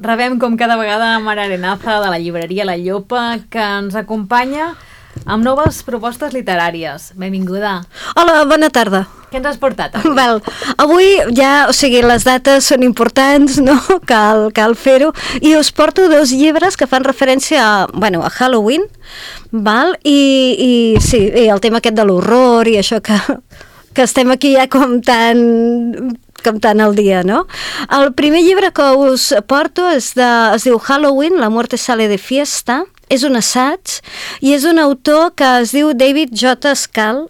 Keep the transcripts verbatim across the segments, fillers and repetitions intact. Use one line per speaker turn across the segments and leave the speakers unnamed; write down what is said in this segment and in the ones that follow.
rebem com cada vegada Mara Arenaza de la llibreria La Llopa, que ens acompanya amb noves propostes literàries. Benvinguda.
Hola, bona tarda.
Què ens has portat avui?
Val. Avui ja, o sigui, les dates són importants, no? Cal, cal fer-ho. I us porto dos llibres que fan referència a, bueno, a Halloween, val? I, i sí, i el tema aquest de l'horror i això que, que estem aquí ja com tan... com tant al dia, no? El primer llibre que us porto és de, es diu Halloween, la muerte sale de fiesta, és un assaig i és un autor que es diu David J. Skal,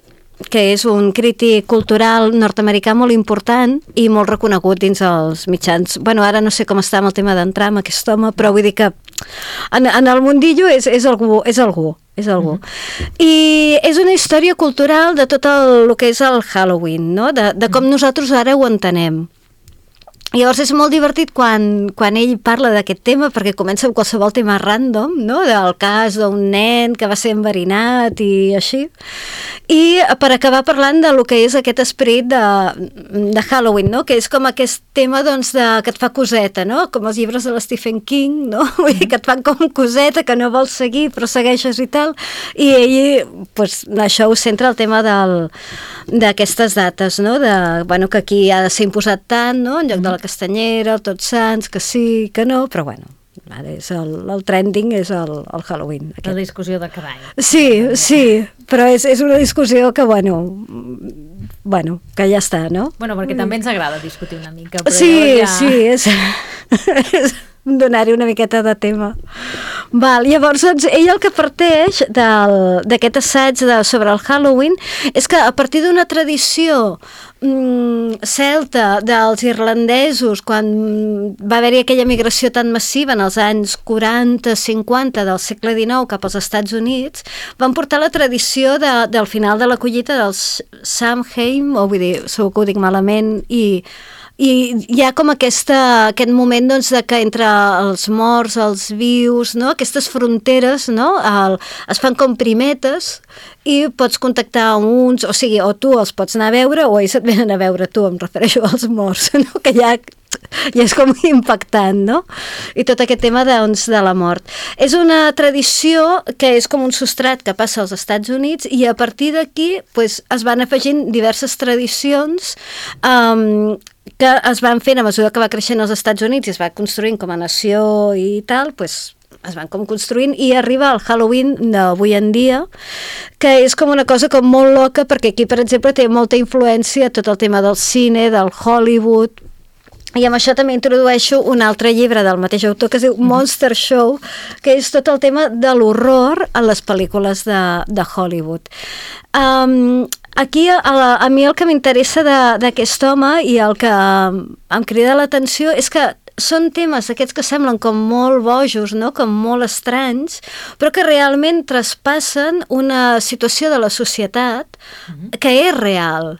que és un crític cultural nord-americà molt important i molt reconegut dins els mitjans. Bueno, ara no sé com està amb el tema d'entrar amb aquest home, però vull dir que en, en el mundillo és, és algú, és algú. és algú. Mm-hmm. I és una història cultural de tot el, el que és el Halloween, no? De, de com nosaltres ara ho entenem. Llavors és molt divertit quan, quan ell parla d'aquest tema, perquè comença amb qualsevol tema random, no? Del cas d'un nen que va ser enverinat i així. I per acabar parlant de lo que és aquest esperit de, de Halloween, no? Que és com aquest tema doncs, de, que et fa coseta, no? Com els llibres de l'Stephen King, no? Vull dir que et fan com coseta, que no vols seguir, però segueixes i tal. I ell, pues, això ho centra el tema del, d'aquestes dates, no? De, bueno, que aquí ha de ser imposat tant, no? En lloc de la Castanyera, el Tots Sants, que sí, que no, però bueno, ara és el, el trending és el, el Halloween.
Aquest. La discussió de cada any.
Sí, sí, però és, és una discussió que, bueno, bueno, que ja està, no?
Bueno, perquè també ens agrada discutir una mica. Però
sí,
ja...
sí, és, és donar-hi una miqueta de tema. Val, llavors, doncs, ell el que parteix d'aquest assaig de, sobre el Halloween és que a partir d'una tradició mm, celta dels irlandesos, quan va haver-hi aquella migració tan massiva en els anys quaranta cinquanta del segle dinou cap als Estats Units, van portar la tradició de, del final de la collita dels Samhain, o vull dir, segur que ho dic malament, i i hi ha com aquesta, aquest moment doncs, de que entre els morts, els vius, no? Aquestes fronteres, no? El, es fan com primetes i pots contactar amb uns, o sigui, o tu els pots anar a veure o ells et venen a veure tu, em refereixo als morts, no? Que ja, ja és com impactant, no? I tot aquest tema doncs, de la mort. És una tradició que és com un substrat que passa als Estats Units i a partir d'aquí pues, es van afegint diverses tradicions um, que es van fent a mesura que va creixent als Estats Units i es va construint com a nació i tal, pues, es van com construint i arriba al Halloween d'avui en dia, que és com una cosa com molt loca, perquè aquí, per exemple, té molta influència tot el tema del cine, del Hollywood, i amb això també introdueixo un altre llibre del mateix autor que es diu Monster Show, que és tot el tema de l'horror en les pel·lícules de, de Hollywood. Um, Aquí a, a mi el que m'interessa d'aquest home i el que em crida l'atenció és que són temes aquests que semblen com molt bojos, no? Com molt estranys, però que realment traspassen una situació de la societat que és real.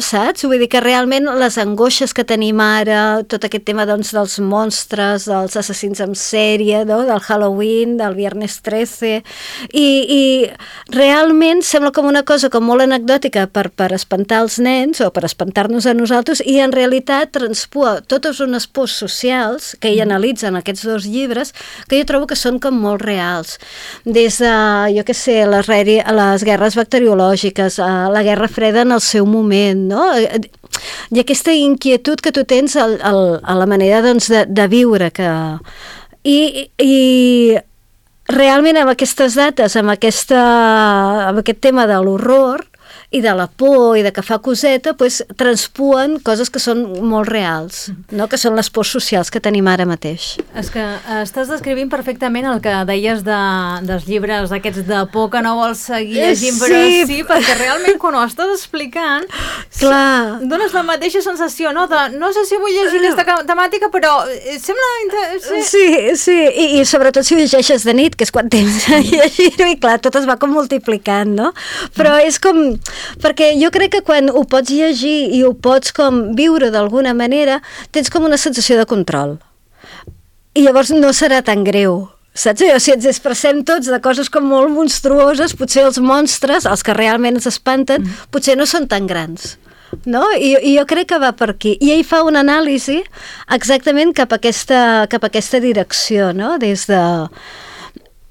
Saps? Vull dir que realment les angoixes que tenim ara, tot aquest tema doncs, dels monstres, dels assassins en sèrie, no? Del Halloween, del Viernes trece, i, i realment sembla com una cosa com molt anecdòtica per, per espantar els nens o per espantar-nos a nosaltres, i en realitat transpua totes unes pors socials que ell analitza en aquests dos llibres que jo trobo que són com molt reals. Des de, jo què sé, les, les guerres bacteriològiques, la Guerra Freda en el seu moment, no? I aquesta inquietud que tu tens al, al, a la manera doncs, de, de viure que... I, i realment amb aquestes dates, amb, aquesta, amb aquest tema de l'horror i de la por i de que fa coseta, pues, transpuen coses que són molt reals, no? Que són les pors socials que tenim ara mateix.
És que estàs descrivint perfectament el que deies de, dels llibres aquests de por que no vols seguir llegint, però sí, sí perquè realment quan ho estàs explicant
clar,
dones la mateixa sensació, no? De, no sé si vull llegir aquesta temàtica, però sembla... Sí,
sí, sí. I, i sobretot si ho llegeixes de nit, que és quan tens a llegir-ho, i clar, tot es va com multiplicant, no? Però és com... Perquè jo crec que quan ho pots llegir i ho pots com viure d'alguna manera, tens com una sensació de control. I llavors no serà tan greu. Saps? O si ens expressem tots de coses com molt monstruoses, potser els monstres, els que realment ens espanten, mm. potser no són tan grans. no? I, I jo crec que va per aquí. I ell fa una anàlisi exactament cap a aquesta, cap a aquesta direcció, no? Des de...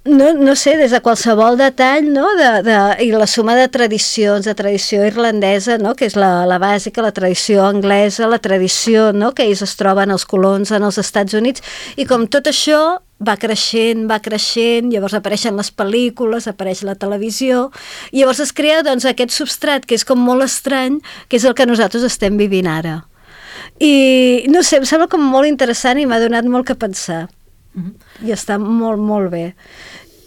No, no sé, des de qualsevol detall, no? de, de, i la suma de tradicions, de tradició irlandesa, no? Que és la, la bàsica, la tradició anglesa, la tradició, no? Que ells es troben els colons en els Estats Units, i com tot això va creixent, va creixent, llavors apareixen les pel·lícules, apareix la televisió, i llavors es crea doncs, aquest substrat que és com molt estrany, que és el que nosaltres estem vivint ara. I no sé, em sembla com molt interessant i m'ha donat molt que pensar. Mm-hmm. I està molt, molt bé.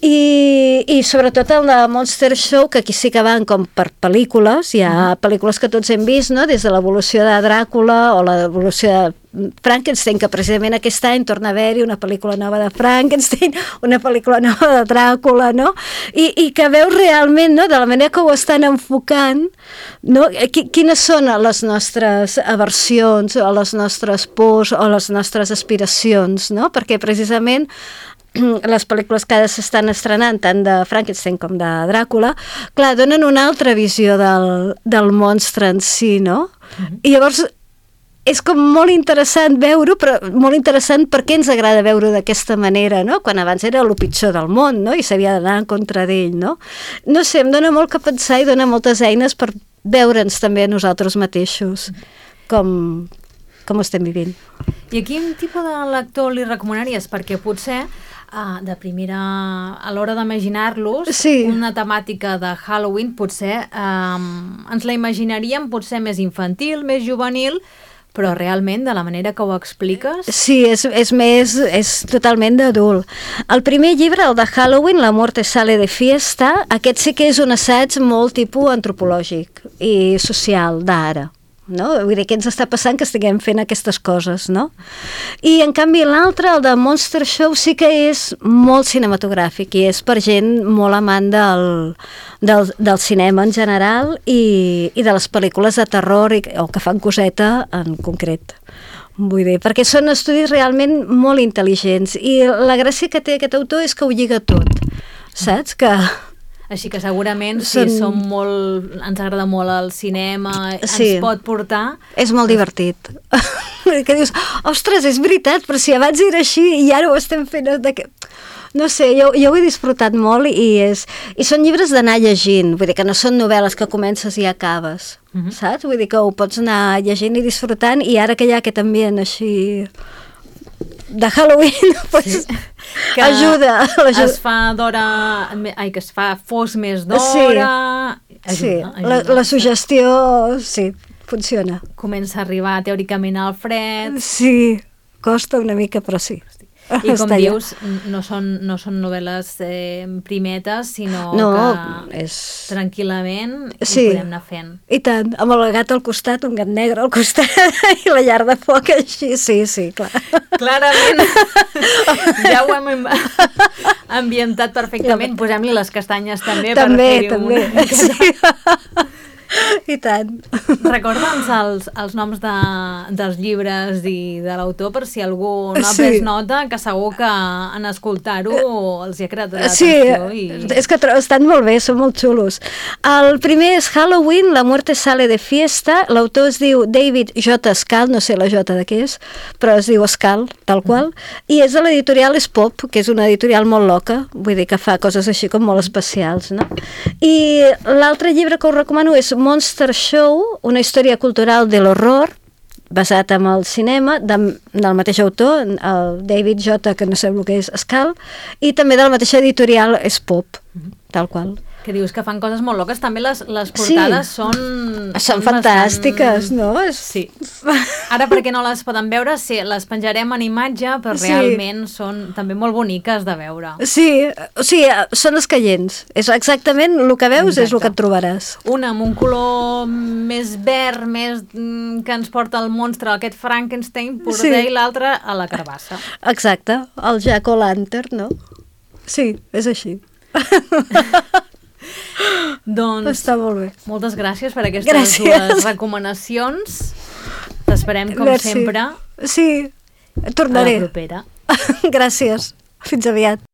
I, i sobretot el de Monster Show, que aquí sí que van com per pel·lícules, hi ha mm-hmm. pel·lícules que tots hem vist, no? Des de l'evolució de Dràcula o l'evolució de Frankenstein, que precisament aquest any torna a haver-hi una pel·lícula nova de Frankenstein, una pel·lícula nova de Dràcula, no? I, i que veus realment, no? De la manera que ho estan enfocant, no? Quines són les nostres aversions o les nostres pors o les nostres aspiracions, no? Perquè precisament les pel·lícules que ara s'estan estrenant, tant de Frankenstein com de Dràcula, clar, donen una altra visió del, del monstre en si, no? Mm-hmm. I llavors és com molt interessant veure-ho, però molt interessant perquè ens agrada veure-ho d'aquesta manera, no? Quan abans era el pitjor del món, no? I s'havia d'anar en contra d'ell, no? No sé, em dona molt que pensar i dona moltes eines per veure'ns també a nosaltres mateixos, com, com ho estem vivint.
I a quin tipus de lector li recomanaries? Perquè potser Uh, de primera, a l'hora d'imaginar-los, sí. Una temàtica de Halloween potser um, ens la imaginaríem potser més infantil, més juvenil, però realment, de la manera que ho expliques...
Sí, és, és més, és totalment d'adult. El primer llibre, el de Halloween, La muerte sale de fiesta, aquest sí que és un assaig molt tipus antropològic i social d'ara. No? Vull dir, què ens està passant que estiguem fent aquestes coses, no? I en canvi l'altre, el de Monster Show, sí que és molt cinematogràfic i és per gent molt amant del, del, del cinema en general i, i de les pel·lícules de terror i, o que fan coseta en concret. Vull dir, perquè són estudis realment molt intel·ligents i la gràcia que té aquest autor és que ho lliga tot, saps? Que...
Així que segurament, si Són... som molt, ens agrada molt el cinema, sí. Ens pot portar...
És molt divertit. Que dius, ostres, és veritat, però si abans era així i ara ho estem fent... De... No sé, jo, jo ho he disfrutat molt i, és... i són llibres d'anar llegint, vull dir que no són novel·les que comences i acabes, uh-huh. Saps? Vull dir que ho pots anar llegint i disfrutant i ara que hi ha aquest ambient així... de Halloween, pues, sí. Que ajuda, ajuda.
Es fa d'hora, ai, que es fa fos més d'hora.
Sí, ajuda, sí. Ajuda. La, la suggestió, sí, funciona.
Comença a arribar teòricament al fred.
Sí, costa una mica, però sí.
I com dius, no són, no són novel·les eh, primetes, sinó
no,
que
és...
tranquil·lament
sí.
Ho podem anar fent.
I tant, amb el gat al costat, un gat negre al costat i la llar de foc així, sí, sí, clar.
Clarament, ja ho hem ambientat perfectament, posem-li les castanyes també,
també
per fer-hi
també,
una...
sí. I tant.
Recorda'ns els, els noms de, dels llibres i de l'autor per si algú no ha pres sí. Nota, que segur que en escoltar-ho els hi ha creat l'atenció.
Sí,
i...
és que estan molt bé, són molt xulos. El primer és Halloween, La muerte sale de fiesta, l'autor es diu David J. Skal, no sé la J de què és, però es diu Skal, tal qual, mm. I és de l'editorial Spop, que és una editorial molt loca, vull dir que fa coses així com molt especials, no? I l'altre llibre que us recomano és Monster Show, una història cultural de l'horror, basat en el cinema, de, del mateix autor, el David J., que no sé el que és, Skal, i també del mateix editorial Spop, tal qual.
Que dius que fan coses molt loques, també les, les portades sí. són...
Són fantàstiques, bastant... no?
Sí. Ara perquè no les poden veure, sí, les penjarem en imatge, però sí. Realment són també molt boniques de veure.
Sí, o sigui, són escaients. És exactament el que veus. Exacte. És el que et trobaràs.
Una amb un color més verd, més que ens porta el monstre, aquest Frankenstein, poder, sí. I l'altre a la carbassa.
Exacte, el Jack-o'-lantern, no? Sí, és així.
Doncs
està molt bé.
Moltes gràcies per aquestes
gràcies.
Dues recomanacions. T'esperem com
Merci.
Sempre.
Sí, tornaré.
A la propera.
Gràcies. Fins aviat.